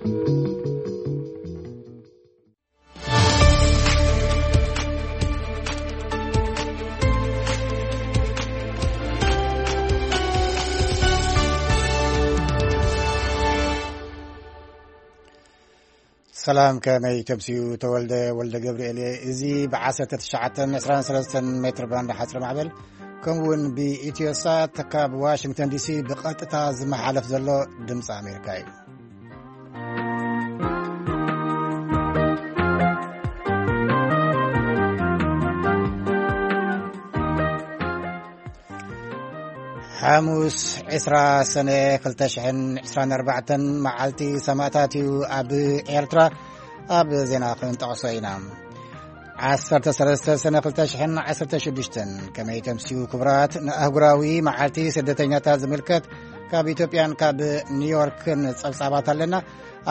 ሰላም፣ ከመይ ተምስዩ? ተወልደ ወልደ ገብርኤል እየ። እዚ ብ1923 ሜትር ባንድ ሓፅሪ ማዕበል፣ ከምኡ እውን ብኢትዮሳት ካብ ዋሽንግተን ዲሲ ብቐጥታ ዝመሓለፍ ዘሎ ድምፂ ኣሜሪካ እዩ። ሓሙስ ዕስራ ሰነ ክልተ ሽሕን ዕስራን ኣርባዕተን መዓልቲ ሰማእታት እዩ ኣብ ኤርትራ። ኣብ ዜና ክንጠቕሶ ኢና። ዓሰርተ ሰለስተ ሰነ ክልተ ሽሕን ዓሰርተ ሽዱሽተን ከመይ ተምስዩ ክቡራት? ንኣህጉራዊ መዓልቲ ስደተኛታት ዝምልከት ካብ ኢትዮጵያን ካብ ኒውዮርክን ጸብጻባት ኣለና።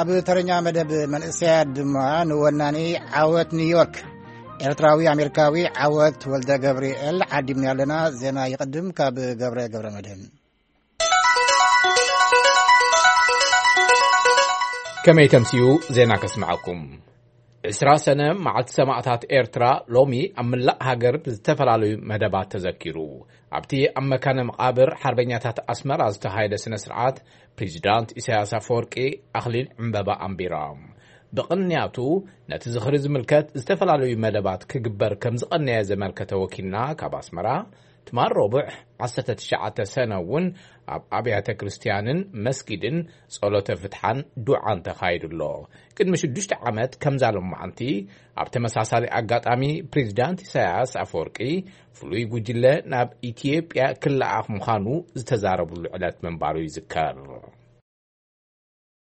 ኣብ ተረኛ መደብ መንእሰያት ድማ ንወናኒ ዓወት ኒውዮርክ ኤርትራዊ ኣሜሪካዊ ዓወት ወልደ ገብርኤል ዓዲምና ኣለና። ዜና ይቕድም ካብ ገብረ ገብረ መድህን። ከመይ ተምስዩ ዜና ከስምዓኩም። ዕስራ ሰነ መዓልቲ ሰማእታት ኤርትራ ሎሚ ኣብ ምላእ ሃገር ብዝተፈላለዩ መደባት ተዘኪሩ። ኣብቲ ኣብ መካነ መቓብር ሓርበኛታት ኣስመራ ዝተኻየደ ስነ ስርዓት፣ ፕሬዚዳንት ኢሳያስ ኣፈወርቂ ኣኽሊል ዕምበባ ኣንቢሮም። ብቕንያቱ ነቲ ዝኽሪ ዝምልከት ዝተፈላለዩ መደባት ክግበር ከም ዝቐነየ ዘመልከተ ወኪልና ካብ ኣስመራ፣ ትማል ረቡዕ ዓሰርተ ትሽዓተ ሰነ እውን ኣብ ኣብያተ ክርስትያንን መስጊድን ጸሎተ ፍትሓን ዱዓን ተኻይዱ ኣሎ። ቅድሚ ሽዱሽተ ዓመት ከምዛ ሎማዓንቲ ኣብ ተመሳሳሊ ኣጋጣሚ ፕሬዚዳንት ኢሳያስ ኣፈወርቂ ፍሉይ ጉጅለ ናብ ኢትዮጵያ ክለኣኽ ምዃኑ ዝተዛረብሉ ዕለት ምንባሩ ይዝከር።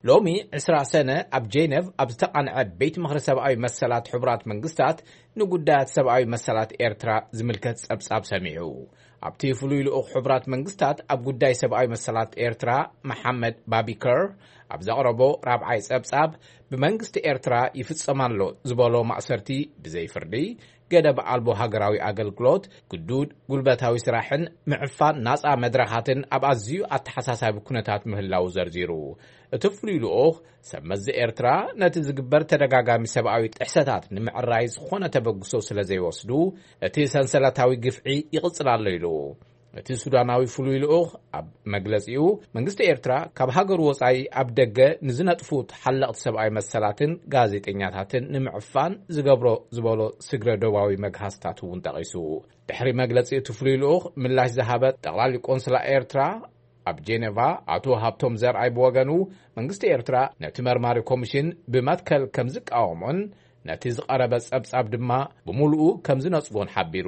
ሎሚ ዕስራ ሰነ ኣብ ጄነቭ ኣብ ዝተቓንዐ ቤት ምኽሪ ሰብኣዊ መሰላት ሕቡራት መንግስታት ንጉዳያት ሰብኣዊ መሰላት ኤርትራ ዝምልከት ጸብጻብ ሰሚዑ። ኣብቲ ፍሉይ ልኡኽ ሕቡራት መንግስታት ኣብ ጉዳይ ሰብኣዊ መሰላት ኤርትራ መሓመድ ባቢከር ኣብ ዘቕረቦ ራብዓይ ጸብጻብ፣ ብመንግስቲ ኤርትራ ይፍጸም ኣሎ ዝበሎ ማእሰርቲ ብዘይ ፍርዲ፣ ገደብ ኣልቦ ሃገራዊ ኣገልግሎት፣ ግዱድ ጉልበታዊ ስራሕን ምዕፋን ናጻ መድረኻትን ኣብ ኣዝዩ ኣተሓሳሳቢ ኩነታት ምህላው ዘርዚሩ። እቲ ፍሉይ ልኡኽ ሰብ መዚ ኤርትራ ነቲ ዝግበር ተደጋጋሚ ሰብኣዊ ጥሕሰታት ንምዕራይ ዝኾነ ተበግሶ ስለ ዘይወስዱ፣ እቲ ሰንሰለታዊ ግፍዒ ይቕጽል ኣሎ ኢሉ። እቲ ሱዳናዊ ፍሉይ ልኡኽ ኣብ መግለጺኡ፣ መንግስቲ ኤርትራ ካብ ሃገሩ ወጻኢ ኣብ ደገ ንዝነጥፉ ተሓለቕቲ ሰብኣዊ መሰላትን ጋዜጠኛታትን ንምዕፋን ዝገብሮ ዝበሎ ስግረ ዶባዊ መግሃስታት እውን ጠቒሱ። ድሕሪ መግለጺ እቲ ፍሉይ ልኡኽ ምላሽ ዝሃበ ጠቕላሊ ቆንስላ ኤርትራ ኣብ ጄኔቫ ኣቶ ሃብቶም ዘርኣይ ብወገኑ፣ መንግስቲ ኤርትራ ነቲ መርማሪ ኮሚሽን ብመትከል ከም ዝቃወሞን ነቲ ዝቐረበ ጸብጻብ ድማ ብምሉኡ ከም ዝነጽጎን ሓቢሩ።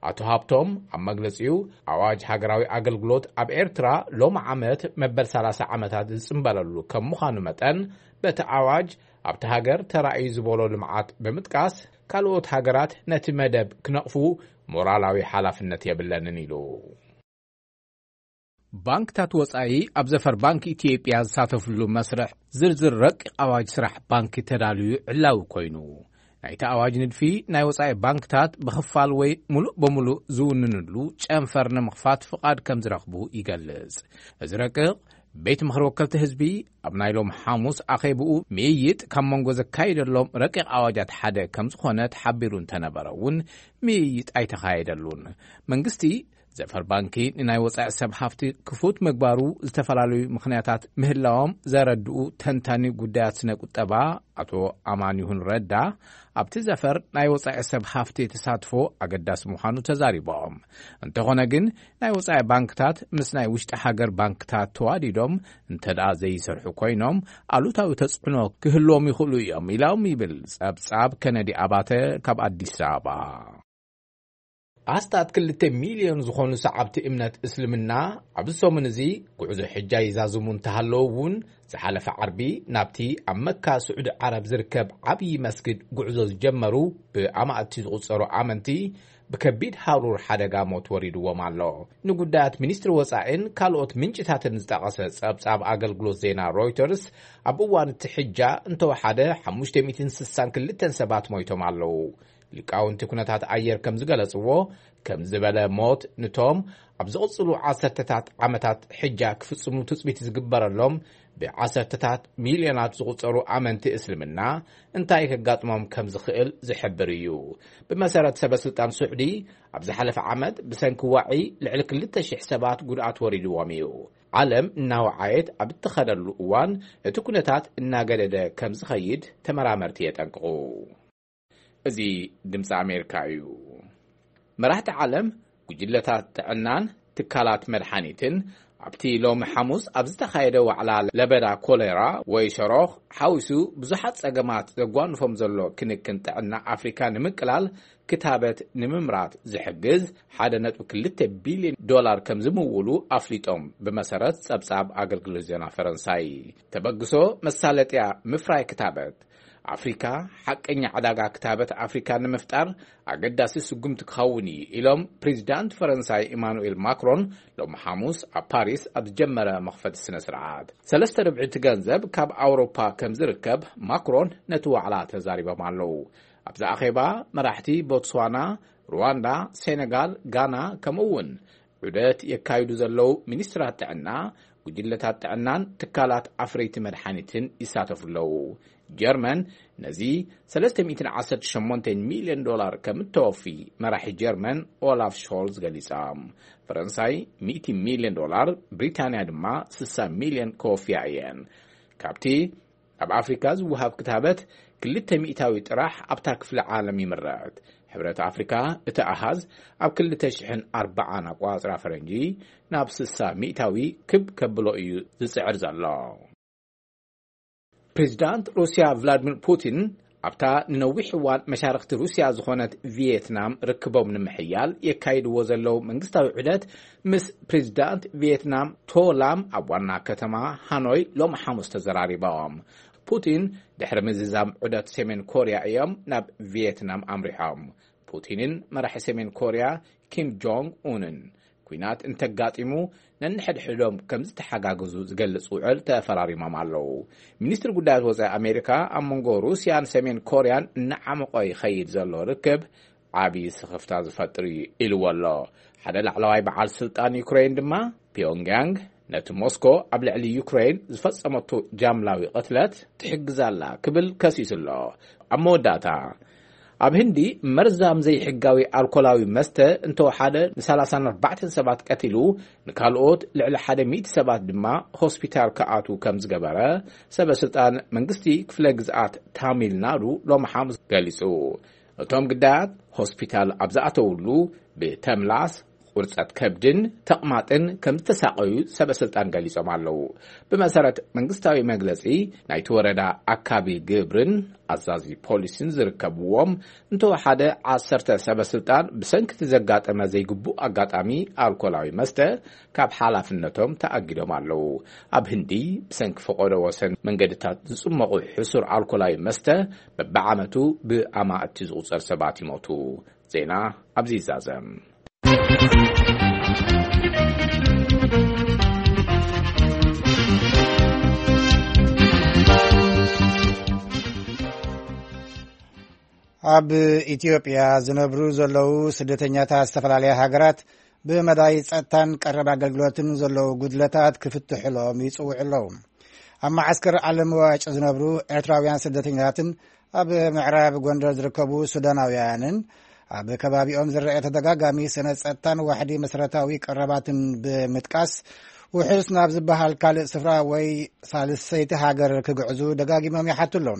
ኣቶ ሃብቶም ኣብ መግለጺኡ፣ ኣዋጅ ሃገራዊ ኣገልግሎት ኣብ ኤርትራ ሎሚ ዓመት መበል ሰላሳ ዓመታት ዝጽንበለሉ ከም ምዃኑ መጠን፣ በቲ ኣዋጅ ኣብቲ ሃገር ተራእዩ ዝበሎ ልምዓት ብምጥቃስ፣ ካልኦት ሃገራት ነቲ መደብ ክነቕፉ ሞራላዊ ሓላፍነት የብለንን ኢሉ። ባንክታት ወጻኢ ኣብ ዘፈር ባንክ ኢትዮጵያ ዝሳተፍሉ መስርሕ ዝርዝር ረቂቕ ኣዋጅ ስራሕ ባንክ ተዳልዩ ዕላዊ ኮይኑ፣ ናይቲ ኣዋጅ ንድፊ ናይ ወጻኢ ባንክታት ብኽፋል ወይ ሙሉእ በሙሉእ ዝውንንሉ ጨንፈር ንምኽፋት ፍቓድ ከም ዝረኽቡ ይገልጽ። እዚ ረቂቕ ቤት ምኽሪ ወከልቲ ህዝቢ ኣብ ናይ ሎም ሓሙስ ኣኼብኡ ምይይጥ ካብ መንጎ ዘካየደሎም ረቂቕ ኣዋጃት ሓደ ከም ዝኾነ ተሓቢሩ እንተነበረ እውን፣ ምይይጥ ኣይተኻየደሉን። መንግስቲ ዘፈር ባንኪ ንናይ ወጻኢ ሰብ ሃፍቲ ክፉት ምግባሩ ዝተፈላለዩ ምኽንያታት ምህላዎም ዘረድኡ ተንታኒ ጉዳያት ስነ ቁጠባ ኣቶ ኣማኒሁን ረዳ፣ ኣብቲ ዘፈር ናይ ወጻኢ ሰብ ሃፍቲ ተሳትፎ ኣገዳሲ ምዃኑ ተዛሪቦም። እንተኾነ ግን፣ ናይ ወጻኢ ባንክታት ምስ ናይ ውሽጢ ሃገር ባንክታት ተዋዲዶም እንተ ደኣ ዘይሰርሑ ኮይኖም፣ ኣሉታዊ ተጽዕኖ ክህልዎም ይኽእሉ እዮም ኢሎም ይብል ጸብጻብ ከነዲ ኣባተ ካብ ኣዲስ ኣበባ። ኣስታት ክልተ ሚልዮን ዝኾኑ ሰዓብቲ እምነት እስልምና ኣብዚ ሰሙን እዚ ጉዕዞ ሕጃ ይዛዝሙ እንተሃለዉ እውን፣ ዝሓለፈ ዓርቢ ናብቲ ኣብ መካ ስዑዲ ዓረብ ዝርከብ ዓብዪ መስጊድ ጉዕዞ ዝጀመሩ ብኣማእቲ ዝቑጸሩ ኣመንቲ ብከቢድ ሃሩር ሓደጋ ሞት ወሪድዎም ኣሎ። ንጉዳያት ሚኒስትሪ ወጻኢን ካልኦት ምንጭታትን ዝጠቐሰ ጸብጻብ ኣገልግሎት ዜና ሮይተርስ፣ ኣብ እዋን እቲ ሕጃ እንተወሓደ ሓሙሽተ ሚእትን ስሳን ክልተን ሰባት ሞይቶም ኣለዉ። ሊቃውንቲ ኩነታት ኣየር ከም ዝገለጽዎ፣ ከም ዝበለ ሞት ንቶም ኣብ ዝቕጽሉ ዓሰርተታት ዓመታት ሕጃ ክፍጽሙ ትጽቢት ዝግበረሎም ብዓሰርተታት ሚልዮናት ዝቑጸሩ ኣመንቲ እስልምና እንታይ ከጋጥሞም ከም ዝኽእል ዝሕብር እዩ። ብመሰረት ሰበ ስልጣን ስዑዲ፣ ኣብ ዝሓለፈ ዓመት ብሰንኪ ዋዒ ልዕሊ ክልተ ሽሕ ሰባት ጉድኣት ወሪድዎም እዩ። ዓለም እናወዓየት ኣብ እትኸደሉ እዋን፣ እቲ ኩነታት እናገደደ ከም ዝኸይድ ተመራመርቲ የጠንቅቑ። እዚ ድምፂ ኣሜሪካ እዩ። መራሕቲ ዓለም፣ ጉጅለታት ጥዕናን ትካላት መድሓኒትን ኣብቲ ሎሚ ሓሙስ ኣብ ዝተኻየደ ዋዕላ ለበዳ ኮሌራ ወይ ሸሮኽ ሓዊሱ ብዙሓት ጸገማት ዘጓንፎም ዘሎ ክንክን ጥዕና ኣፍሪካ ንምቅላል ክታበት ንምምራት ዝሕግዝ ሓደ ነጥቢ ክልተ ቢልዮን ዶላር ከም ዝምውሉ ኣፍሊጦም፣ ብመሰረት ጸብጻብ ኣገልግሎት ዜና ፈረንሳይ። ተበግሶ መሳለጥያ ምፍራይ ክታበት ኣፍሪካ ሓቀኛ ዕዳጋ ክታበት ኣፍሪካ ንምፍጣር ኣገዳሲ ስጉምቲ ክኸውን እዩ ኢሎም ፕሬዚዳንት ፈረንሳይ ኢማኑኤል ማክሮን ሎሚ ሓሙስ ኣብ ፓሪስ ኣብ ዝጀመረ መኽፈቲ ስነ ስርዓት። ሰለስተ ርብዒ እቲ ገንዘብ ካብ ኣውሮፓ ከም ዝርከብ ማክሮን ነቲ ዋዕላ ተዛሪቦም ኣለዉ። ኣብዚ ኣኼባ መራሕቲ ቦትስዋና፣ ሩዋንዳ፣ ሴኔጋል፣ ጋና ከምኡ እውን ዑደት የካይዱ ዘለዉ ሚኒስትራት ጥዕና፣ ጉጅለታት ጥዕናን ትካላት ኣፍረይቲ መድሓኒትን ይሳተፉ ኣለዉ። ጀርመን ነዚ ሰለስተ ሚእትን ዓሰርተ ሸሞንተ ሚልዮን ዶላር ከም እተወፊ መራሒ ጀርመን ኦላፍ ሾልዝ ገሊጻ። ፈረንሳይ ሚእቲ ሚልዮን ዶላር፣ ብሪታንያ ድማ ስሳ ሚልዮን ከወፍያ እየን። ካብቲ ኣብ ኣፍሪካ ዝወሃብ ክታበት ክልተ ሚእታዊ ጥራሕ ኣብታ ክፍለ ዓለም ይምረት። ሕብረት ኣፍሪካ እቲ ኣሃዝ ኣብ ክልተ ሽሕን ኣርባዓን ኣቋጽራ ፈረንጂ ናብ ስሳ ሚእታዊ ክብ ከብሎ እዩ ዝጽዕር ዘሎ። ፕሬዚዳንት ሩስያ ቭላድሚር ፑቲን ኣብታ ንነዊሕ እዋን መሻርኽቲ ሩስያ ዝኾነት ቪየትናም ርክቦም ንምሕያል የካይድዎ ዘለዉ መንግስታዊ ዑደት ምስ ፕሬዚዳንት ቪየትናም ቶላም ኣብ ዋና ከተማ ሃኖይ ሎሚ ሓሙስ ተዘራሪቦም። ፑቲን ድሕሪ ምዝዛም ዑደት ሰሜን ኮርያ እዮም ናብ ቪየትናም ኣምሪሖም። ፑቲንን መራሒ ሰሜን ኮርያ ኪም ጆንግ ኡንን ኲናት እንተጋጢሙ ነንሕድሕዶም ከም ዝተሓጋገዙ ዝገልጽ ውዕል ተፈራሪሞም ኣለዉ። ሚኒስትሪ ጉዳያት ወጻኢ ኣሜሪካ ኣብ መንጎ ሩስያን ሰሜን ኮርያን እናዓመቖ ይኸይድ ዘሎ ርክብ ዓቢ ስኽፍታ ዝፈጥር እዩ ኢልዎ ኣሎ። ሓደ ላዕለዋይ በዓል ስልጣን ዩክሬን ድማ ፒዮንግያንግ ነቲ ሞስኮ ኣብ ልዕሊ ዩክሬን ዝፈጸመቶ ጃምላዊ ቅትለት ትሕግዝ ኣላ ክብል ከሲሱ ኣሎ። ኣብ መወዳእታ፣ ኣብ ህንዲ መርዛም ዘይሕጋዊ ኣልኮላዊ መስተ እንተወሓደ ንሰላሳን ኣርባዕተን ሰባት ቀቲሉ፣ ንካልኦት ልዕሊ ሓደ ሚእቲ ሰባት ድማ ሆስፒታል ክኣትዉ ከም ዝገበረ ሰበ ስልጣን መንግስቲ ክፍለ ግዝኣት ታሚል ናዱ ሎሚ ሓሙስ ገሊጹ። እቶም ግዳያት ሆስፒታል ኣብ ዝኣተውሉ ብተምላስ፣ ቁርጸት ከብድን ተቕማጥን ከም ዝተሳቐዩ ሰበ ስልጣን ገሊጾም ኣለዉ። ብመሰረት መንግስታዊ መግለጺ፣ ናይቲ ወረዳ ኣካቢ ግብርን ኣዛዚ ፖሊስን ዝርከብዎም እንተወሓደ ዓሰርተ ሰበ ስልጣን ብሰንኪ እቲ ዘጋጠመ ዘይግቡእ ኣጋጣሚ ኣልኮላዊ መስተ ካብ ሓላፍነቶም ተኣጊዶም ኣለዉ። ኣብ ህንዲ ብሰንኪ ፈቐዶ ወሰን መንገድታት ዝጽመቑ ሕሱር ኣልኮላዊ መስተ በብዓመቱ ብኣማእቲ ዝቑጸር ሰባት ይሞቱ። ዜና ኣብዚ ይዛዘም። ኣብ ኢትዮጵያ ዝነብሩ ዘለዉ ስደተኛታት ዝተፈላለያ ሃገራት ብመዳይ ጸጥታን ቀረብ ኣገልግሎትን ዘለዉ ጉድለታት ክፍትሕሎም ይጽውዑ ኣለዉ። ኣብ መዓስከር ዓለም ዋጭ ዝነብሩ ኤርትራውያን ስደተኛታትን ኣብ ምዕራብ ጎንደር ዝርከቡ ሱዳናውያንን ኣብ ከባቢኦም ዝረአ ተደጋጋሚ ስነ ጸጥታን ዋሕዲ መሰረታዊ ቀረባትን ብምጥቃስ፣ ውሑስ ናብ ዝበሃል ካልእ ስፍራ ወይ ሳልሰይቲ ሃገር ክግዕዙ ደጋጊሞም ይሓቱ ኣለዉ።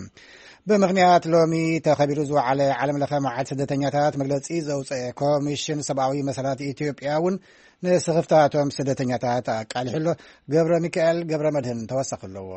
ብምኽንያት ሎሚ ተኸቢሩ ዝወዓለ ዓለም ለኸ መዓልቲ ስደተኛታት መግለጺ ዘውፀአ ኮሚሽን ሰብኣዊ መሰላት ኢትዮጵያ እውን ንስኽፍታቶም ስደተኛታት ኣቃሊሑ ኣሎ። ገብረ ሚካኤል ገብረ መድህን ተወሳኺ ኣለዎ።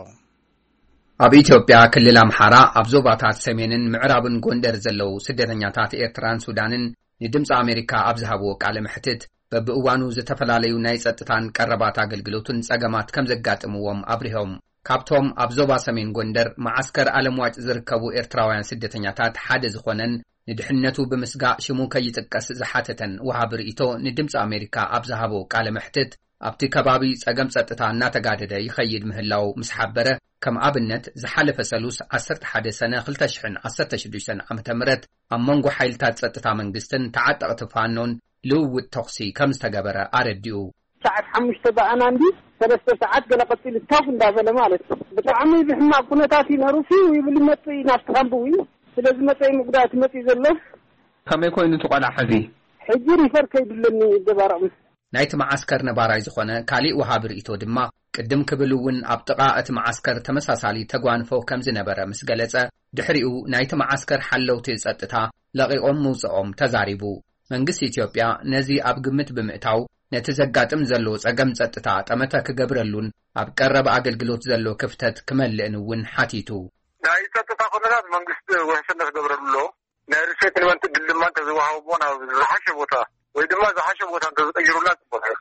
ኣብ ኢትዮጵያ ክልል ኣምሓራ ኣብ ዞባታት ሰሜንን ምዕራብን ጎንደር ዘለዉ ስደተኛታት ኤርትራን ሱዳንን ንድምፂ ኣሜሪካ ኣብ ዝሃብዎ ቃለ መሕትት፣ በብእዋኑ ዝተፈላለዩ ናይ ጸጥታን ቀረባት ኣገልግሎትን ጸገማት ከም ዘጋጥምዎም ኣብሪሆም። ካብቶም ኣብ ዞባ ሰሜን ጎንደር መዓስከር ኣለምዋጭ ዝርከቡ ኤርትራውያን ስደተኛታት ሓደ ዝኾነን ንድሕነቱ ብምስጋእ ሽሙ ከይጥቀስ ዝሓተተን ወሃቢ ርእይቶ ንድምፂ ኣሜሪካ ኣብ ዝሃቦ ቃለ መሕትት፣ ኣብቲ ከባቢ ጸገም ጸጥታ እናተጋደደ ይኸይድ ምህላው ምስ ሓበረ፣ ከም ኣብነት ዝሓለፈ ሰሉስ ዓሰርተ ሓደ ሰነ ክልተ ሽሕን ዓሰርተ ሽዱሽተን ዓመተ ምህረት ኣብ መንጎ ሓይልታት ጸጥታ መንግስትን ተዓጠቕቲ ፋኖን ልውውጥ ተኹሲ ከም ዝተገበረ ኣረዲኡ። ሰዓት ሓሙሽተ ብኣና እንዲ ሰለስተ ሰዓት ገለ ቀፂሉ ታፍ እንዳበለ ማለት እዩ። ብጣዕሚ ብሕማቅ ኩነታት እዩ ነሩ። ፊው ይብል ይመፅእ እዩ ናብቲ ካምቢ እውን። ስለዚ መፀኢ ምጉዳእቲ መፅእ ዘሎ። ከመይ ኮይኑ እቲ ቆልዓ ሕዚ? ሕጂ ሪፈር ከይድለኒ ይደባረቕ። ናይቲ መዓስከር ነባራይ ዝኾነ ካሊእ ወሃቢ ርእይቶ ድማ፣ ቅድም ክብል እውን ኣብ ጥቓ እቲ መዓስከር ተመሳሳሊ ተጓንፎ ከም ዝነበረ ምስ ገለጸ፣ ድሕሪኡ ናይቲ መዓስከር ሓለውቲ ጸጥታ ለቒቖም ምውጽኦም ተዛሪቡ። መንግስቲ ኢትዮጵያ ነዚ ኣብ ግምት ብምእታው፣ ነቲ ዘጋጥም ዘሎ ጸገም ጸጥታ ጠመተ ክገብረሉን ኣብ ቀረብ ኣገልግሎት ዘሎ ክፍተት ክመልእን እውን ሓቲቱ። ናይ ጸጥታ ኩነታት መንግስቲ ውሕስነት ክገብረሉ ኣሎ። ናይ ሪሴትልመንት ዕድል ድማ እንተዝወሃቦ ናብ ዝሓሸ ቦታ ወይ ድማ ዝሓሸ ቦታ እንተዝቀይሩላ ጽቡቅ ነይሩ።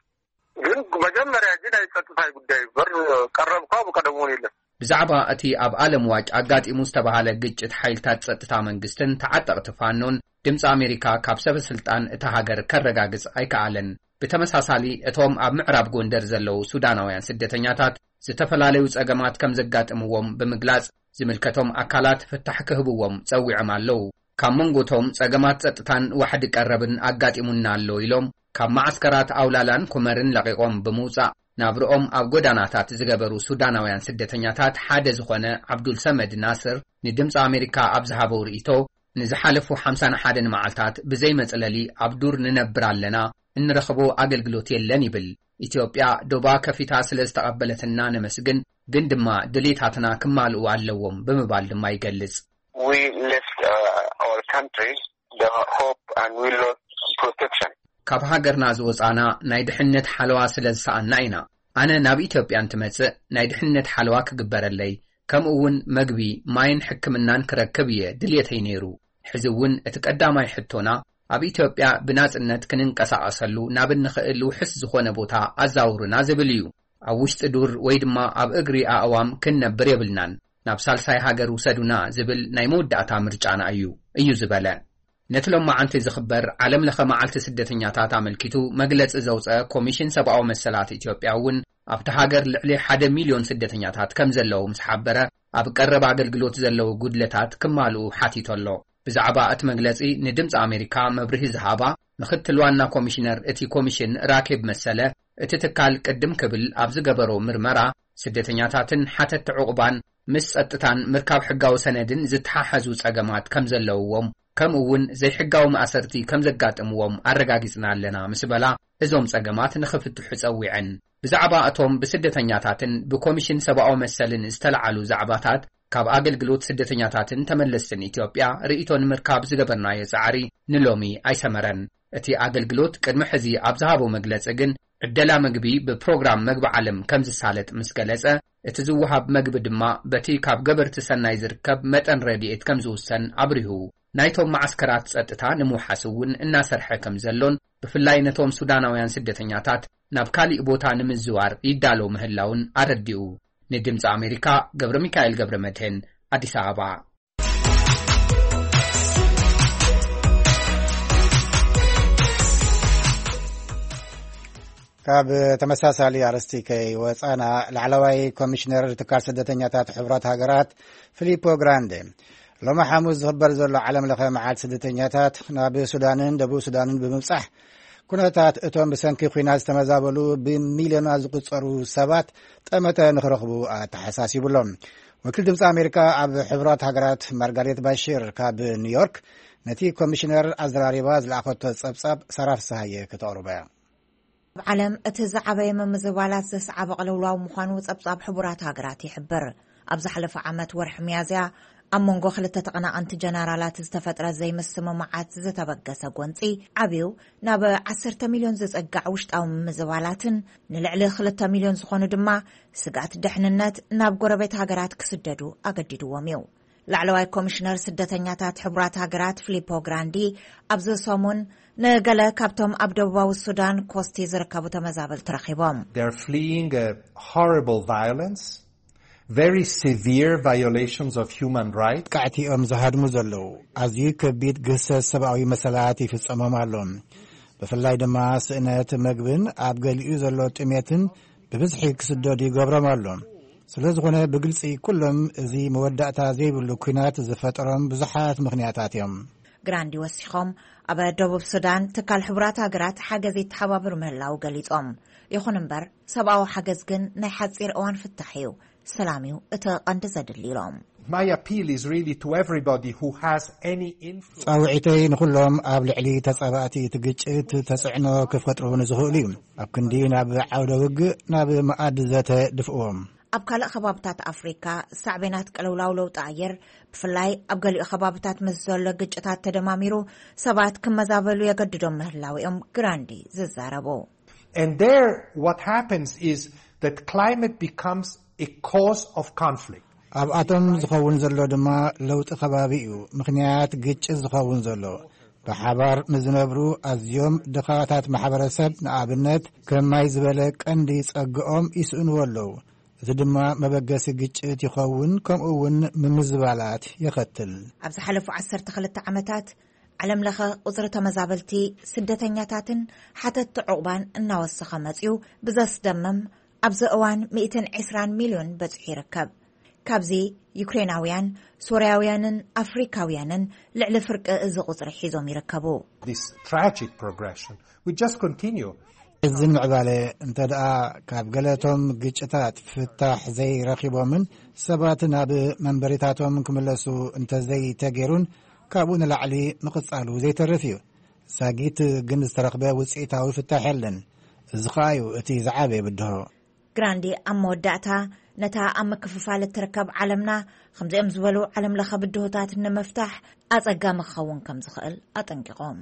ግን መጀመርያ እዚ ናይ ጸጥታ ጉዳይ እምበር ቀረብ እኳ ብቀደም እውን የለን። ብዛዕባ እቲ ኣብ ኣለምዋጭ ኣጋጢሙ ዝተባህለ ግጭት ሓይልታት ጸጥታ መንግስትን ተዓጠቕቲ ፋኖን ድምፂ ኣሜሪካ ካብ ሰበ ስልጣን እታ ሃገር ከረጋግጽ ኣይከኣለን። ብተመሳሳሊ እቶም ኣብ ምዕራብ ጎንደር ዘለዉ ሱዳናውያን ስደተኛታት ዝተፈላለዩ ጸገማት ከም ዘጋጥምዎም ብምግላጽ ዝምልከቶም ኣካላት ፍታሕ ክህብዎም ጸዊዖም ኣለዉ። ካብ መንጎቶም ጸገማት ጸጥታን ዋሕዲ ቀረብን ኣጋጢሙና ኣሎ ኢሎም ካብ መዓስከራት ኣውላላን ኩመርን ለቒቖም ብምውጻእ ናብርኦም ኣብ ጎዳናታት ዝገበሩ ሱዳናውያን ስደተኛታት ሓደ ዝኾነ ዓብዱል ሰመድ ናስር ንድምፂ ኣሜሪካ ኣብ ዝሃበው ርእይቶ፣ ንዝሓለፉ ሓምሳን ሓደን መዓልታት ብዘይ መጽለሊ ኣብ ዱር ንነብር ኣለና፣ እንረኽቦ ኣገልግሎት የለን ይብል። ኢትዮጵያ ዶባ ከፊታ ስለ ዝተቐበለትና ነመስግን፣ ግን ድማ ድሌታትና ክማልኡ ኣለዎም ብምባል ድማ ይገልጽ። We left uh, our country, the hope, and we lost protection. ካብ ሃገርና ዝወጻና ናይ ድሕነት ሓለዋ ስለ ዝሰኣና ኢና። ኣነ ናብ ኢትዮጵያ እንትመጽእ ናይ ድሕነት ሓለዋ ክግበረለይ፣ ከምኡ እውን መግቢ፣ ማይን ሕክምናን ክረክብ እየ ድልየተይ ነይሩ። ሕዚ እውን እቲ ቀዳማይ ሕቶና ኣብ ኢትዮጵያ ብናጽነት ክንንቀሳቐሰሉ ናብ እንኽእል ውሕስ ዝኾነ ቦታ ኣዛውሩና ዝብል እዩ። ኣብ ውሽጢ ዱር ወይ ድማ ኣብ እግሪ ኣእዋም ክንነብር የብልናን። ናብ ሳልሳይ ሃገር ውሰዱና ዝብል ናይ መወዳእታ ምርጫና እዩ፣ እዩ ዝበለ። ነቲ ሎማዓንቲ ዝኽበር ዓለም ለኸ መዓልቲ ስደተኛታት ኣመልኪቱ መግለጺ ዘውፀ ኮሚሽን ሰብኣዊ መሰላት ኢትዮጵያ እውን ኣብቲ ሃገር ልዕሊ ሓደ ሚልዮን ስደተኛታት ከም ዘለዉ ምስ ሓበረ፣ ኣብ ቀረብ ኣገልግሎት ዘለዉ ጉድለታት ክማልኡ ሓቲቱ ኣሎ። ብዛዕባ እቲ መግለጺ ንድምፂ ኣሜሪካ መብርሂ ዝሃባ ምኽትል ዋና ኮሚሽነር እቲ ኮሚሽን ራኬብ መሰለ፣ እቲ ትካል ቅድም ክብል ኣብ ዝገበሮ ምርመራ ስደተኛታትን ሓተቲ ዕቑባን ምስ ጸጥታን ምርካብ ሕጋዊ ሰነድን ዝተሓሓዙ ጸገማት ከም ዘለውዎም፣ ከምኡ እውን ዘይሕጋዊ ማእሰርቲ ከም ዘጋጥምዎም ኣረጋጊጽና ኣለና ምስ በላ፣ እዞም ጸገማት ንኽፍትሑ ጸዊዐን። ብዛዕባ እቶም ብስደተኛታትን ብኮሚሽን ሰብኣዊ መሰልን ዝተለዓሉ ዛዕባታት ካብ ኣገልግሎት ስደተኛታትን ተመለስትን ኢትዮጵያ ርእይቶ ንምርካብ ዝገበርናዮ ጻዕሪ ንሎሚ ኣይሰመረን። እቲ ኣገልግሎት ቅድሚ ሕዚ ኣብ ዝሃቦ መግለጺ ግን፣ ዕደላ ምግቢ ብፕሮግራም መግቢ ዓለም ከም ዝሳለጥ ምስ ገለጸ፣ እቲ ዝወሃብ መግቢ ድማ በቲ ካብ ገበርቲ ሰናይ ዝርከብ መጠን ረድኤት ከም ዝውሰን ኣብሪሁ። ናይቶም መዓስከራት ጸጥታ ንምውሓስ እውን እናሰርሐ ከም ዘሎን፣ ብፍላይ ነቶም ሱዳናውያን ስደተኛታት ናብ ካሊእ ቦታ ንምዝዋር ይዳሎ ምህላውን ኣረዲኡ። ንድምፂ ኣሜሪካ ገብረ ሚካኤል ገብረ መድህን፣ ኣዲስ ኣበባ። ካብ ተመሳሳሊ ኣርእስቲ ከይወጻና፣ ላዕለዋይ ኮሚሽነር ትካል ስደተኛታት ሕቡራት ሃገራት ፊሊፖ ግራንዴ፣ ሎሚ ሓሙስ ዝኽበር ዘሎ ዓለም ለኸ መዓልቲ ስደተኛታት ናብ ሱዳንን ደቡብ ሱዳንን ብምብጻሕ፣ ኩነታት እቶም ብሰንኪ ኲናት ዝተመዛበሉ ብሚልዮናት ዝቑጸሩ ሰባት ጠመተ ንኽረኽቡ ኣተሓሳሲቡ ኣሎ። ወኪል ድምፂ ኣሜሪካ ኣብ ሕቡራት ሃገራት ማርጋሬት ባሽር ካብ ኒውዮርክ ነቲ ኮሚሽነር ኣዘራሪባ ዝለኣኸቶ ጸብጻብ ሳራ ፍስሃየ ከተቕርቦ እያ። ኣብ ዓለም እቲ ዝዓበየ ምምዝባላት ዘስዓበ ቅልውላው ምዃኑ ጸብጻብ ሕቡራት ሃገራት ይሕብር። ኣብ ዝሓለፈ ዓመት ወርሒ ሚያዝያ ኣብ መንጎ ክልተ ተቐናቐንቲ ጀነራላት ዝተፈጥረ ዘይምስምማዓት ዝተበገሰ ጎንጺ ዓብዩ ናብ ዓሰርተ ሚልዮን ዝጸጋዕ ውሽጣዊ ምምዝባላትን ንልዕሊ ክልተ ሚልዮን ዝኾኑ ድማ ስግኣት ድሕንነት ናብ ጎረቤት ሃገራት ክስደዱ ኣገዲድዎም እዩ። ላዕለዋይ ኮሚሽነር ስደተኛታት ሕቡራት ሃገራት ፊሊፖ ግራንዲ ኣብዚ ሰሙን ንገለ ካብቶም ኣብ ደቡባዊ ሱዳን ኮስቲ ዝርከቡ ተመዛበልቲ ረኺቦም። They're fleeing a horrible violence, very severe violations of human rights. ቃዕቲ እዮም ዝሃድሙ ዘለዉ። ኣዝዩ ከቢድ ግህሰት ሰብኣዊ መሰላት ይፍጸሞም ኣሎ። ብፍላይ ድማ ስእነት መግብን ኣብ ገሊኡ ዘሎ ጥሜትን ብብዝሒ ክስደዱ ይገብሮም ኣሎ። ስለ ዝኾነ ብግልጺ ኩሎም እዚ መወዳእታ ዘይብሉ ኲናት ዝፈጠሮም ብዙሓት ምኽንያታት እዮም። ግራንዲ ወሲኾም ኣብ ደቡብ ሱዳን ትካል ሕቡራት ሃገራት ሓገዝ ይተሓባብር ምህላው ገሊጾም። ይኹን እምበር፣ ሰብኣዊ ሓገዝ ግን ናይ ሓጺር እዋን ፍታሕ እዩ። ሰላም እዩ እቲ ቀንዲ ዘድሊ ኢሎም። My appeal is really to everybody who has any influence. ጻውዒተይ ንኹሎም ኣብ ልዕሊ ተጻባእቲ እቲ ግጭት ተጽዕኖ ክፈጥሩ ንዝኽእሉ እዩ። ኣብ ክንዲ ናብ ዓውደ ውግእ፣ ናብ መኣዲ ዘተ ድፍእዎም። ኣብ ካልእ ከባብታት ኣፍሪካ ሳዕቤናት ቅልውላው ለውጢ ኣየር፣ ብፍላይ ኣብ ገሊኡ ከባብታት ምስ ዘሎ ግጭታት ተደማሚሩ፣ ሰባት ክመዛበሉ የገድዶም ምህላው እዮም ግራንዲ ዝዛረቡ። And there, what happens is that climate becomes a cause of conflict. ኣብኣቶም ዝኸውን ዘሎ ድማ ለውጢ ከባቢ እዩ ምኽንያት ግጭት ዝኸውን ዘሎ። ብሓባር ንዝነብሩ ኣዝዮም ድኻታት ማሕበረሰብ፣ ንኣብነት፣ ከም ማይ ዝበለ ቀንዲ ጸግኦም ይስእንዎ ኣለዉ። እዚ ድማ መበገሲ ግጭት ይኸውን፣ ከምኡ እውን ምምዝባላት የኸትል። ኣብ ዝሓለፉ ዓሰርተ ክልተ ዓመታት፣ ዓለም ለኸ ቁጽሪ ተመዛበልቲ፣ ስደተኛታትን ሓተትቲ ዕቑባን እናወሰኸ መጺኡ፣ ብዘስደምም ኣብዚ እዋን ሚእትን ዕስራን ሚልዮን በጺሑ ይርከብ። ካብዚ፣ ዩክሬናውያን፣ ሶርያውያንን ኣፍሪካውያንን ልዕሊ ፍርቂ እዚ ቁጽሪ ሒዞም ይርከቡ። This tragic progression will just continue. እዚ ምዕባለ እንተ ደኣ ካብ ገለቶም ግጭታት ፍታሕ ዘይረኺቦምን ሰባት ናብ መንበሪታቶም ክምለሱ እንተ ዘይተገይሩን፣ ካብኡ ንላዕሊ ምቕጻሉ ዘይተርፍ እዩ። ዛጊት ግን ዝተረኽበ ውጽኢታዊ ፍታሕ የለን። እዚ ኸኣ እዩ እቲ ዝዓበየ ብድሆ። ግራንዲ ኣብ መወዳእታ፣ ነታ ኣብ ምክፍፋል እትርከብ ዓለምና፣ ከምዚኦም ዝበሉ ዓለም ለኸ ብድሆታት ንምፍታሕ ኣጸጋሚ ክኸውን ከም ዝኽእል ኣጠንቂቖም።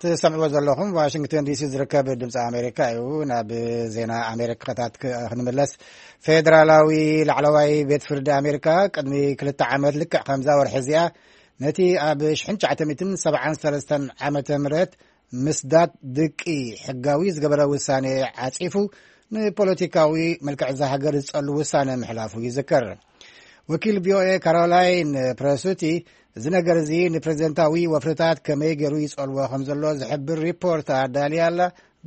ትሰምዕዎ ዘለኹም ዋሽንግተን ዲሲ ዝርከብ ድምፂ ኣሜሪካ እዩ። ናብ ዜና ኣሜሪካታት ክ- ክንምለስ፣ ፌዴራላዊ ላዕለዋይ ቤት ፍርዲ ኣሜሪካ ቅድሚ ክልተ ዓመት፣ ልክዕ ከምዛ ወርሒ እዚኣ፣ ነቲ ኣብ ሽሕን ትሽዓተ ሚእትን ሰብዓን ሰለስተን ዓመተ ምህረት ምስዳድ ድቂ ሕጋዊ ዝገበረ ውሳኔ ዓጺፉ፣ ንፖለቲካዊ መልክዕ እዛ ሃገር ዝጸሉ ውሳነ ምሕላፉ ይዝከር። ወኪል ቪኦኤ ካሮላይን ፕረሱቲ፣ እዚ ነገር እዚ ንፕሬዝደንታዊ ወፍርታት ከመይ ገይሩ ይጸልዎ ከም ዘሎ ዝሕብር ሪፖርት ኣዳልያ ኣላ።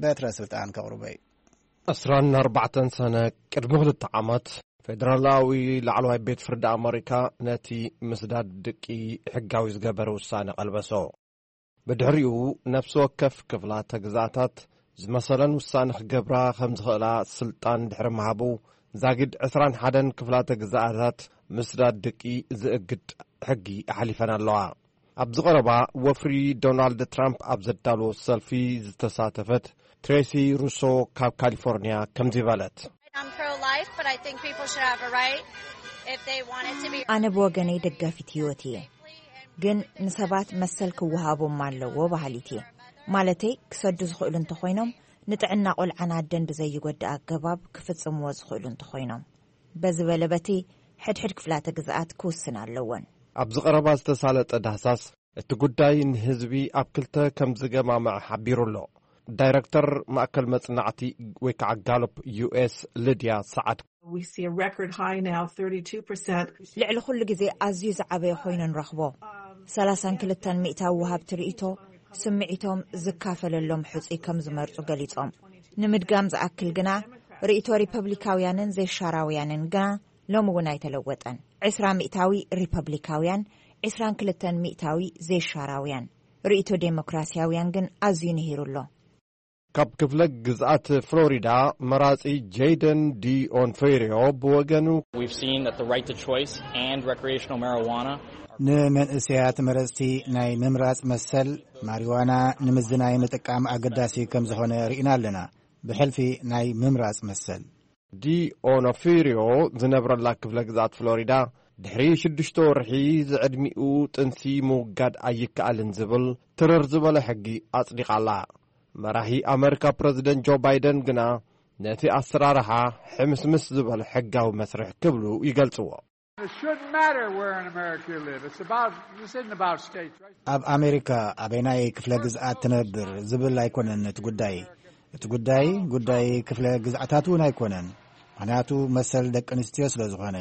በትረ ስልጣን ከቕርቦ እዩ። ዕስራን ኣርባዕተን ሰነ ቅድሚ ክልተ ዓመት፣ ፌደራላዊ ላዕለዋይ ቤት ፍርዲ ኣመሪካ ነቲ ምስዳድ ድቂ ሕጋዊ ዝገበረ ውሳነ ቀልበሶ። ብድሕሪኡ፣ ነፍሲ ወከፍ ክፍላተ ግዝኣታት ዝመሰለን ውሳነ ክገብራ ከም ዝኽእላ ስልጣን ድሕሪ ምሃቡ፣ ዛጊድ ዕስራን ሓደን ክፍላተ ግዝኣታት ምስዳድ ድቂ ዝእግድ ሕጊ ኣሕሊፈን ኣለዋ። ኣብዚ ቀረባ፣ ወፍሪ ዶናልድ ትራምፕ ኣብ ዘዳለዎ ሰልፊ ዝተሳተፈት ትሬሲ ሩሶ ካብ ካሊፎርኒያ ከምዚ በለት። I'm pro-life, but I think people should have a right if they wanted to be. ኣነ ብወገነይ ደጋፊት ህይወት እየ፣ ግን ንሰባት መሰል ክወሃቦም ኣለዎ በሃሊት እየ። ማለተይ፣ ክሰዱ ዝኽእሉ እንተኾይኖም፣ ንጥዕና ቆልዓን ኣደን ብዘይጎድእ ኣገባብ ክፍጽምዎ ዝኽእሉ እንተኾይኖም። በዚ በለ በቲ፣ ሕድሕድ ክፍላተ ግዝኣት ክውስን ኣለወን። ኣብዚ ቀረባ ዝተሳለጠ ዳህሳስ፣ እቲ ጉዳይ ንህዝቢ ኣብ ክልተ ከም ዝገማምዕ ሓቢሩ ኣሎ። ዳይረክተር ማእከል መጽናዕቲ ወይ ከዓ ጋሎፕ ዩ ኤስ፣ ልድያ ሰዓድ። We see a record high now, thirty-two percent. ልዕሊ ኩሉ ግዜ ኣዝዩ ዝዓበየ ኮይኑ ንረኽቦ። ሰላሳን ክልተን ሚእታዊ ወሃብቲ ርእይቶ፣ ስምዒቶም ዝካፈለሎም ሕጹይ ከም ዝመርጹ ገሊጾም። ንምድጋም ዝኣክል ግና፣ ርእይቶ ሪፐብሊካውያንን ዘይሻራውያንን ግና ሎሚ እውን ኣይተለወጠን። ዕስራ ሚእታዊ ሪፐብሊካውያን፣ ዕስራን ክልተን ሚእታዊ ዘይሻራውያን። ርእይቶ ዴሞክራሲያውያን ግን ኣዝዩ ንሂሩ ኣሎ። ካብ ክፍለ ግዝኣት ፍሎሪዳ፣ መራጺ ጄይደን ዲ ኦንፌሪዮ ብወገኑ፣ We've seen that the right to choice and recreational marijuana are ንመንእሰያት መረጽቲ ናይ ምምራጽ መሰል፣ ማሪዋና ንምዝናይ ምጥቃም ኣገዳሲ ከም ዝኾነ ርኢና ኣለና። ብሕልፊ ናይ ምምራጽ መሰል። ዲ ኦኖፊሪዮ ዝነብረላ ክፍለ ግዝኣት ፍሎሪዳ፣ ድሕሪ ሽዱሽተ ወርሒ ዝዕድሚኡ ጥንሲ ምውጋድ ኣይከኣልን ዝብል ትርር ዝበለ ሕጊ ኣጽዲቓ ኣላ። መራሒ ኣመሪካ ፕረዚደንት ጆ ባይደን ግና፣ ነቲ ኣሰራርሓ ሕምስምስ ዝበለ ሕጋዊ መስርሕ ክብሉ ይገልጽዎ። It shouldn't matter where in America you live. It's about, this isn't about states, right? ኣብ ኣሜሪካ ኣበይናይ ክፍለ ግዝኣት ትነብር ዝብል ኣይኮነን እቲ ጉዳይ። እቲ ጉዳይ፣ ጉዳይ ክፍለ ግዝኣታት እውን ኣይኮነን። ምኽንያቱ፣ መሰል ደቂ ኣንስትዮ ስለ ዝኾነ።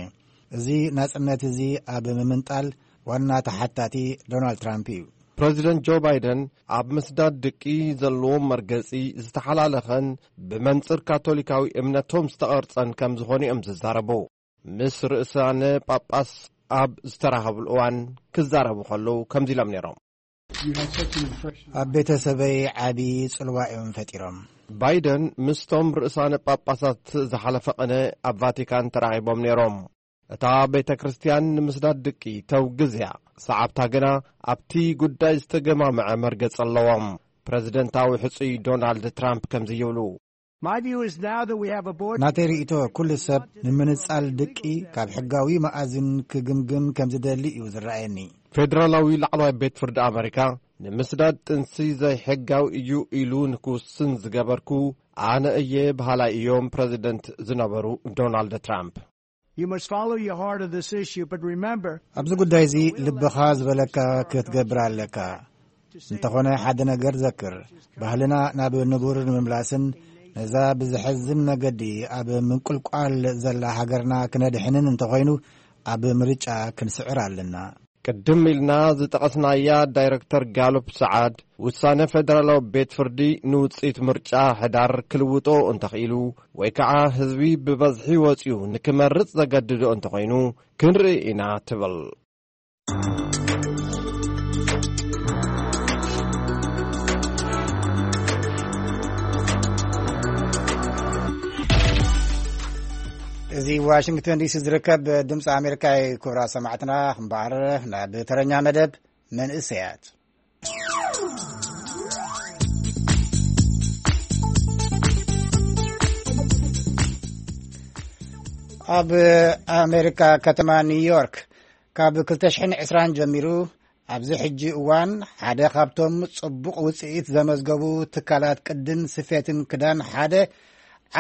እዚ ናጽነት እዚ ኣብ ምምንጣል ዋና ተሓታቲ ዶናልድ ትራምፕ እዩ። ፕረዚደንት ጆ ባይደን፣ ኣብ ምስዳድ ድቂ ዘለዎም መርገጺ ዝተሓላለኸን ብመንጽር ካቶሊካዊ እምነቶም ዝተቐርጸን ከም ዝኾኑ እዮም ዝዛረቡ። ምስ ርእሳነ ጳጳስ ኣብ ዝተራኸብሉ እዋን ክዛረቡ ከለዉ ከምዚ ኢሎም ነይሮም። ኣብ ቤተሰበይ ዓቢ ጽልዋ እዮም ፈጢሮም። ባይደን ምስቶም ርእሳነ ጳጳሳት ዝሓለፈ ቅነ ኣብ ቫቲካን ተራኺቦም ነይሮም። እታ ቤተ ክርስቲያን ንምስዳድ ድቂ ተውግዝ እያ። ሰዓብታ ግና ኣብቲ ጉዳይ ዝተገማምዐ መርገጽ ኣለዎም። ፕረዚደንታዊ ሕጹይ ዶናልድ ትራምፕ ከምዚ ይብሉ። My view is now that we have a board ናተይ ርእይቶ፣ ኩሉ ሰብ ንምንጻል ድቂ ካብ ሕጋዊ መኣዝን ክግምግም ከም ዝደሊ እዩ ዝረኣየኒ። ፌደራላዊ ላዕለዋይ ቤት ፍርዲ ኣመሪካ ንምስዳድ ጥንሲ ዘይሕጋዊ እዩ ኢሉ ንክውስን ዝገበርኩ ኣነ እየ በሃላይ እዮም ፕረዚደንት ዝነበሩ ዶናልድ ትራምፕ። You must follow your heart on this issue, but remember ኣብዚ ጉዳይ እዚ ልብኻ ዝበለካ ክትገብር ኣለካ። እንተኾነ ሓደ ነገር ዘክር፣ ባህልና ናብ ንቡር ንምምላስን ነዛ ብዘሕዝን መገዲ ኣብ ምንቁልቋል ዘላ ሃገርና ክነድሕንን እንተኾይኑ ኣብ ምርጫ ክንስዕር ኣለና። ቅድም ኢልና ዝጠቐስናያ ዳይረክተር ጋሉፕ ሰዓድ፣ ውሳነ ፌደራላዊ ቤት ፍርዲ ንውጽኢት ምርጫ ሕዳር ክልውጦ እንተኽኢሉ ወይ ከዓ ህዝቢ ብበዝሒ ወጺኡ ንክመርጽ ዘገድዶ እንተኾይኑ ክንርኢ ኢና ትብል። እዚ ዋሽንግተን ዲሲ ዝርከብ ድምፂ ኣሜሪካ እዩ። ክቡራት ሰማዕትና፣ እምበኣር ናብ ተረኛ መደብ መንእሰያት። ኣብ ኣሜሪካ ከተማ ኒውዮርክ ካብ ክልተ ሽሕን ዕስራን ጀሚሩ ኣብዚ ሕጂ እዋን ሓደ ካብቶም ጽቡቕ ውጽኢት ዘመዝገቡ ትካላት ቅድን ስፌትን ክዳን ሓደ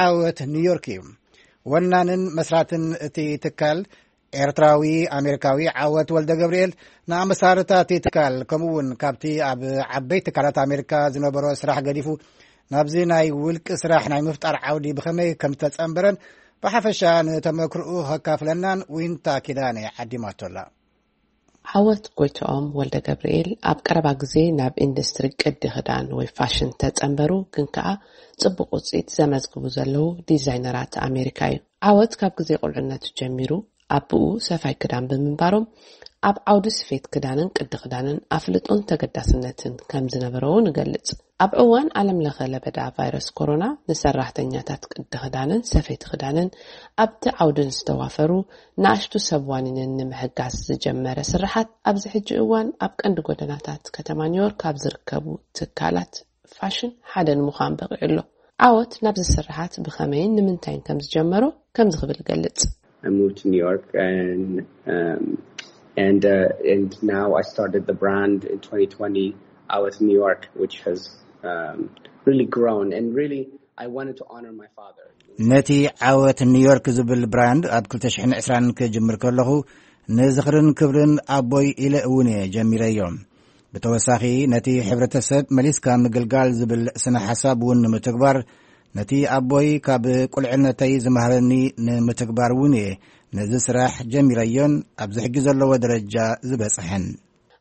ዓወት ኒውዮርክ እዩ። ወናንን መስራትን እቲ ትካል ኤርትራዊ ኣሜሪካዊ ዓወት ወልደ ገብርኤል ንኣመሳርታ እቲ ትካል፣ ከምኡ እውን ካብቲ ኣብ ዓበይቲ ትካላት ኣሜሪካ ዝነበሮ ስራሕ ገዲፉ ናብዚ ናይ ውልቂ ስራሕ ናይ ምፍጣር ዓውዲ ብኸመይ ከም ዝተጸንበረን ብሓፈሻ ንተመክርኡ ከካፍለናን ዊንታ ኪዳነ ዓዲማቶላ። ዓወት ጎይትኦም ወልደ ገብርኤል ኣብ ቀረባ ግዜ ናብ ኢንዱስትሪ ቅዲ ክዳን ወይ ፋሽን ተጸንበሩ፣ ግን ከኣ ጽቡቕ ውጽኢት ዘመዝግቡ ዘለዉ ዲዛይነራት ኣሜሪካ እዩ። ዓወት ካብ ግዜ ቁልዕነቱ ጀሚሩ ኣቦኡ ሰፋይ ክዳን ብምንባሮም፣ ኣብ ዓውዲ ስፌት ክዳንን ቅዲ ክዳንን ኣፍልጦን ተገዳስነትን ከም ዝነበሮ እውን ይገልጽ። ኣብ እዋን ዓለም ለኸ ለበዳ ቫይረስ ኮሮና፣ ንሰራሕተኛታት ቅዲ ክዳንን ሰፈይቲ ክዳንን ኣብቲ ዓውዲ ንዝተዋፈሩ ንኣሽቱ ሰብ ዋኒንን ንምሕጋዝ ዝጀመረ ስርሓት፣ ኣብዚ ሕጂ እዋን ኣብ ቀንዲ ጎደናታት ከተማ ኒውዮርክ ኣብ ዝርከቡ ትካላት ፋሽን ሓደ ንምዃን በቒዑ ኣሎ። ዓወት ናብዚ ስርሓት ብኸመይን ንምንታይን ከም ዝጀመሮ ከምዚ ክብል ይገልጽ። I moved to New York and, um, and, uh, and now I started the brand in twenty twenty, Awet New York, which has, um, really grown, and really I wanted to honor my father. ነቲ ዓወት ኒውዮርክ ዝብል ብራንድ ኣብ ክልተ ሽሕን ዕስራን ክጅምር ከለኹ ንዝኽርን ክብርን ኣቦይ ኢለ እውን እየ ጀሚረዮ። ብተወሳኺ ነቲ ሕብረተሰብ መሊስካ ምግልጋል ዝብል ስነ ሓሳብ እውን ንምትግባር፣ ነቲ ኣቦይ ካብ ቁልዕነተይ ዝመሃረኒ ንምትግባር እውን እየ ነዚ ስራሕ ጀሚረዮን ኣብዚ ሕጂ ዘለዎ ደረጃ ዝበጽሐን።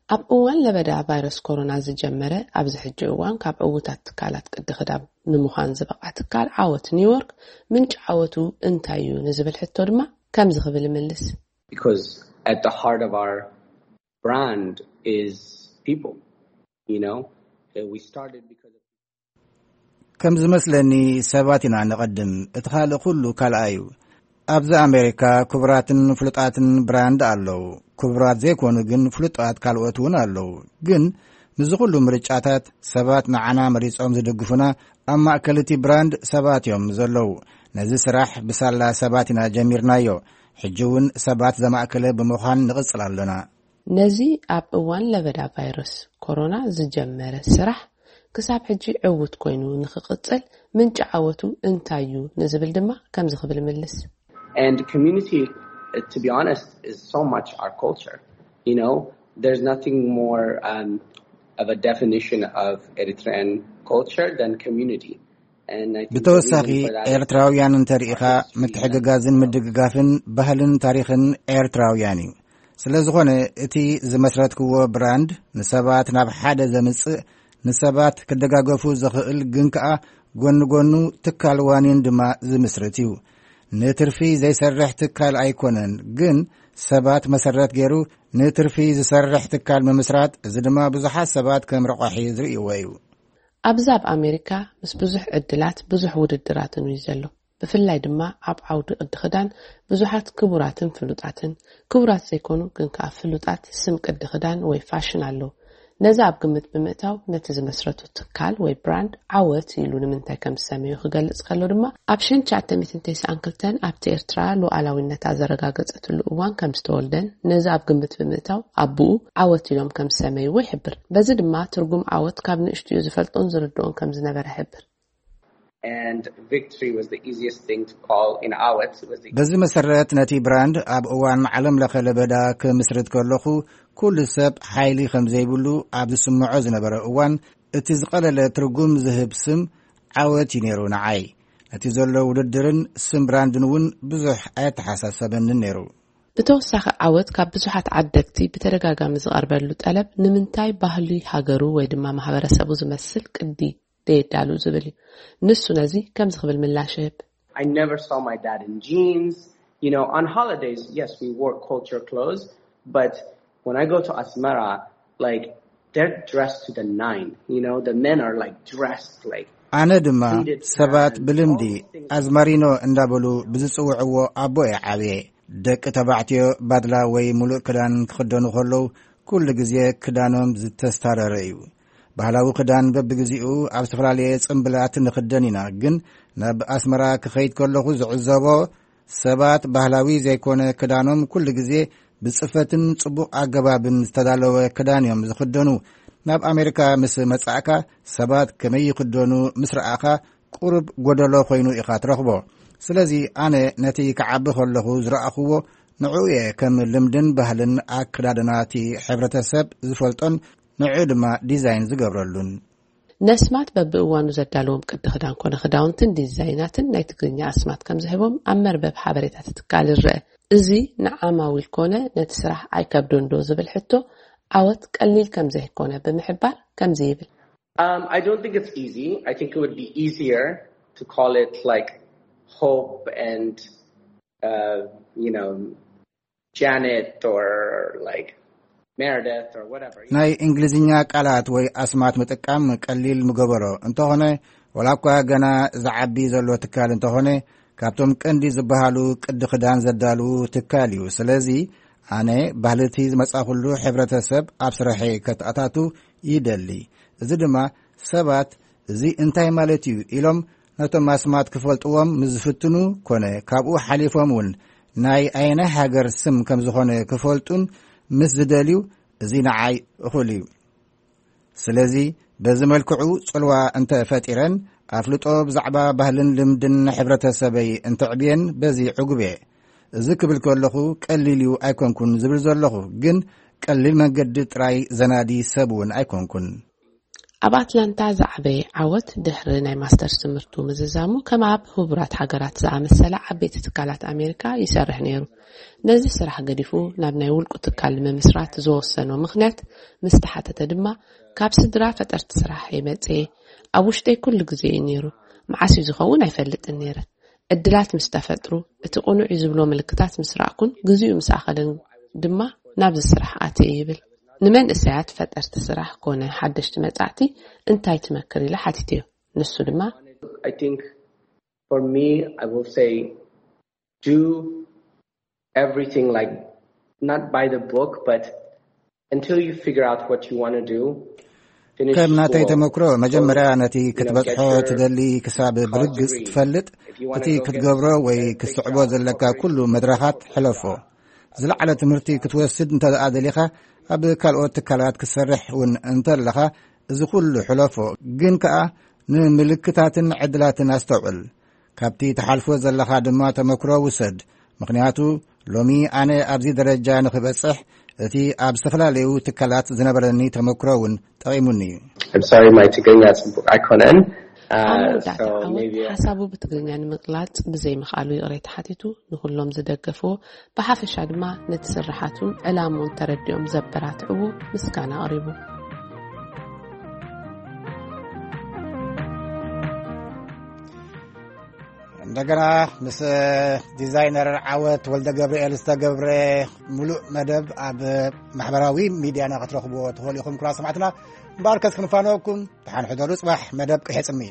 ኣብ እዋን ለበዳ ቫይረስ ኮሮና ዝጀመረ ኣብዚ ሕጂ እዋን ካብ ዕዉታት ትካላት ቅዲ ክዳን ንምዃን ዝበቕዐ ትካል ዓወት ኒውዮርክ፣ ምንጪ ዓወቱ እንታይ እዩ ንዝብል ሕቶ ድማ ከምዚ ክብል ይምልስ። Because at the heart of our brand is people, you know? Uh, we started because of ከም ዝመስለኒ ሰባት ኢና ንቐድም፣ እቲ ካልእ ኩሉ ካልኣ እዩ። ኣብዚ ኣሜሪካ ክቡራትን ፍሉጣትን ብራንድ ኣለዉ። ክቡራት ዘይኮኑ ግን ፍሉጣት ካልኦት እውን ኣለዉ። ግን ምስዚ ኩሉ ምርጫታት ሰባት ንዓና መሪጾም ዝድግፉና ኣብ ማእከል እቲ ብራንድ ሰባት እዮም ዘለዉ። ነዚ ስራሕ ብሳላ ሰባት ኢና ጀሚርናዮ። ሕጂ እውን ሰባት ዘማእከለ ብምዃን ንቕጽል ኣለና። ነዚ ኣብ እዋን ለበዳ ቫይረስ ኮሮና ዝጀመረ ስራሕ ክሳብ ሕጂ ዕዉት ኮይኑ ንኽቕጽል ምንጪ ዓወቱ እንታይ እዩ ንዝብል ድማ ከምዚ ክብል ይምልስ። And community, uh, to be honest, is so much our culture. You know, there's nothing more, um, of a definition of Eritrean culture than community. And I think the ብተወሳኺ reason for that is ኤርትራውያን እንተርኢኻ ምትሕግጋዝን ምድግጋፍን ባህልን ታሪኽን ኤርትራውያን እዩ። ስለ ዝኾነ እቲ ዝመስረትክዎ ብራንድ ንሰባት ናብ ሓደ ዘምጽእ፣ ንሰባት ክደጋገፉ ዘኽእል ግን ከኣ ጎኒ ጎኑ ትካል ዋኒን ድማ ዝምስርት እዩ። ንትርፊ ዘይሰርሕ ትካል ኣይኮነን፣ ግን ሰባት መሰረት ገይሩ ንትርፊ ዝሰርሕ ትካል ምምስራት፣ እዚ ድማ ብዙሓት ሰባት ከም ረቋሒ ዝርእይዎ እዩ። ኣብዚ ኣብ ኣሜሪካ ምስ ብዙሕ ዕድላት ብዙሕ ውድድራትን እዩ ዘሎ። ብፍላይ ድማ ኣብ ዓውዲ ቅዲ ክዳን ብዙሓት ክቡራትን ፍሉጣትን፣ ክቡራት ዘይኮኑ ግን ከኣ ፍሉጣት ስም ቅዲ ክዳን ወይ ፋሽን ኣለዉ። ነዚ ኣብ ግምት ብምእታው ነቲ ዝመስረቱ ትካል ወይ ብራንድ ዓወት ኢሉ ንምንታይ ከም ዝሰመዩ ክገልጽ ከሎ ድማ ኣብ ሽሕን ትሽዓተ ሚእትን ተስዓን ክልተን ኣብቲ ኤርትራ ሉዓላዊነታ ዘረጋገጸትሉ እዋን ከም ዝተወልደን ነዚ ኣብ ግምት ብምእታው ኣቡኡ ዓወት ኢሎም ከም ዝሰመይዎ ይሕብር። በዚ ድማ ትርጉም ዓወት ካብ ንእሽትኡ ዝፈልጦን ዝርድኦን ከም ዝነበረ ይሕብር። And victory was the easiest thing to call in Awet. Was the በዚ መሰረት ነቲ ብራንድ ኣብ እዋን ዓለም ለኸ ለበዳ ክምስርት ከለኹ ኩሉ ሰብ ሓይሊ ከም ዘይብሉ ኣብ ዝስምዖ ዝነበረ እዋን እቲ ዝቐለለ ትርጉም ዝህብ ስም ዓወት እዩ ነይሩ ንዓይ። ነቲ ዘሎ ውድድርን ስም ብራንድን እውን ብዙሕ ኣየተሓሳሰበንን ነይሩ። ብተወሳኺ ዓወት ካብ ብዙሓት ዓደግቲ ብተደጋጋሚ ዝቐርበሉ ጠለብ ንምንታይ ባህሊ ሃገሩ ወይ ድማ ማህበረሰቡ ዝመስል ቅዲ ደየዳሉ ዝብል እዩ። ንሱ ነዚ ከምዚ ክብል ምላሽ ይህብ። I never saw my dad in jeans. You know, on holidays, yes, we wore culture clothes, but when I go to Asmara, like, they're dressed to the nine. You know, the men are like dressed like ኣነ ድማ ሰባት ብልምዲ ኣዝማሪኖ እንዳበሉ ብዝጽውዕዎ ኣቦ እየ ዓብየ። ደቂ ተባዕትዮ ባድላ ወይ ሙሉእ ክዳን ክኽደኑ ከለዉ ኩሉ ግዜ ክዳኖም ዝተስታረረ እዩ። ባህላዊ ክዳን በብግዚኡ ኣብ ዝተፈላለየ ጽምብላት ንኽደን ኢና፣ ግን ናብ ኣስመራ ክኸይድ ከለኹ ዝዕዘቦ ሰባት ባህላዊ ዘይኮነ ክዳኖም ኩሉ ግዜ ብጽፈትን ጽቡቕ ኣገባብን ዝተዳለወ ክዳን እዮም ዝኽደኑ። ናብ ኣሜሪካ ምስ መጻእካ ሰባት ከመይ ይኽደኑ ምስ ረኣኻ ቁሩብ ጎደሎ ኮይኑ ኢኻ ትረኽቦ። ስለዚ ኣነ ነቲ ክዓቢ ከለኹ ዝረኣኽዎ ንዕኡ እየ ከም ልምድን ባህልን ኣከዳድና እቲ ሕብረተሰብ ዝፈልጦን ንዕኡ ድማ ዲዛይን ዝገብረሉን። ነስማት በብእዋኑ ዘዳለዎም ቅዲ ክዳን ኮነ ክዳውንትን ዲዛይናትን ናይ ትግርኛ ኣስማት ከም ዝህቦም ኣብ መርበብ ሓበሬታ ትትካል ይረአ። እዚ ንዓማዊል ኮነ ነቲ ስራሕ ኣይከብዶን ዶ ዝብል ሕቶ ዓወት ቀሊል ከም ዘይኮነ ብምሕባር ከምዚ ይብል። Um, I don't think it's easy. I think it would be easier to call it like Hope and, uh, you know, Janet or like Meredith or whatever. ናይ እንግሊዝኛ ቃላት ወይ ኣስማት ምጥቃም ቀሊል ምገበሮ እንተኾነ፣ ወላ እኳ ገና ዝዓቢ ዘሎ ትካል እንተኾነ፣ ካብቶም ቀንዲ ዝበሃሉ ቅዲ ክዳን ዘዳልዉ ትካል እዩ። ስለዚ ኣነ ባህልቲ ዝመጻኹሉ ሕብረተሰብ ኣብ ስርሐይ ከተኣታቱ ይደሊ። እዚ ድማ ሰባት እዚ እንታይ ማለት እዩ ኢሎም ነቶም ኣስማት ክፈልጥዎም ምስ ዝፍትኑ ኮነ ካብኡ ሓሊፎም እውን ናይ ኣየናይ ሃገር ስም ከም ዝኾነ ክፈልጡን ምስ ዝደልዩ እዚ ንዓይ እኹል እዩ። ስለዚ በዚ መልክዑ ጽልዋ እንተ ፈጢረን ኣፍልጦ ብዛዕባ ባህልን ልምድን ሕብረተሰበይ እንተዕብየን በዚ ዕጉብ እየ። እዚ ክብል ከለኹ ቀሊል እዩ ኣይኮንኩን ዝብል ዘለኹ፣ ግን ቀሊል መንገዲ ጥራይ ዘናዲ ሰብ እውን ኣይኮንኩን። ኣብ ኣትላንታ ዝዓበየ ዓወት ድሕሪ ናይ ማስተርስ ትምህርቱ ምዝዛሙ ከም ኣብ ህቡራት ሃገራት ዝኣመሰላ ዓበይቲ ትካላት ኣሜሪካ ይሰርሕ ነይሩ። ነዚ ስራሕ ገዲፉ ናብ ናይ ውልቁ ትካል ንምምስራት ዝወሰኖ ምኽንያት ምስ ተሓተተ ድማ ካብ ስድራ ፈጠርቲ ስራሕ እየ መጽየ። ኣብ ውሽጠይ ኩሉ ግዜ እዩ ነይሩ። መዓስ እዩ ዝኸውን ኣይፈልጥን ነይረ። ዕድላት ምስ ተፈጥሩ፣ እቲ ቅኑዕ እዩ ዝብሎ ምልክታት ምስ ረኣኩን ግዜኡ ምስ ኣኸለን ድማ ናብዚ ስራሕ ኣትየ ይብል። ንመንእሰያት ፈጠርቲ ስራሕ ኮነ ሓደሽቲ መጻእቲ እንታይ ትመክር ኢለ ሓቲተዮ። ንሱ ድማ I think for me, I will say do everything like not by the book, but until you figure out what you want to do, finish ከም ናተይ school. ተመክሮ መጀመርያ ነቲ ክትበጽሖ ትደሊ ክሳብ ብርግጽ ትፈልጥ፣ እቲ ክትገብሮ ወይ ክትስዕቦ ዘለካ ኩሉ መድረኻት ሕለፎ። ዝለዓለ ትምህርቲ ክትወስድ እንተ ደኣ ደሊኻ ኣብ ካልኦት ትካላት ክትሰርሕ እውን እንተለኻ እዚ ኩሉ ሕለፎ፣ ግን ከኣ ንምልክታትን ዕድላትን ኣስተውዕል። ካብቲ ትሓልፎ ዘለኻ ድማ ተመክሮ ውሰድ። ምኽንያቱ ሎሚ ኣነ ኣብዚ ደረጃ ንኽበጽሕ እቲ ኣብ ዝተፈላለዩ ትካላት ዝነበረኒ ተመክሮ እውን ጠቒሙኒ እዩ። I'm sorry, my Tigrinya ጽቡቕ ኣይኮነን. Uh, ኣብ መወዳእታ so ዓወት maybe ሓሳቡ ብትግርኛ ንምግላጽ ብዘይምኽኣሉ ይቕሬታ ሓቲቱ፣ ንኹሎም ዝደገፍዎ ብሓፈሻ ድማ ነቲ ስርሓቱን ዕላምኡን ተረዲኦም ዘበራትዕዎ ምስጋና ኣቕሪቡ። እንደገና ምስ ዲዛይነር ዓወት ወልደ ገብርኤል ዝተገብረ ሙሉእ መደብ ኣብ ማሕበራዊ ሚድያና ክትረኽብዎ ትኽእሉ ኢኹም። ክቡራት ሰማዕትና፣ እምበኣር ከስ ክንፋነወኩም፣ ደሓን ሕደሩ። ጽባሕ መደብ ቅርሒ ጽምኢ።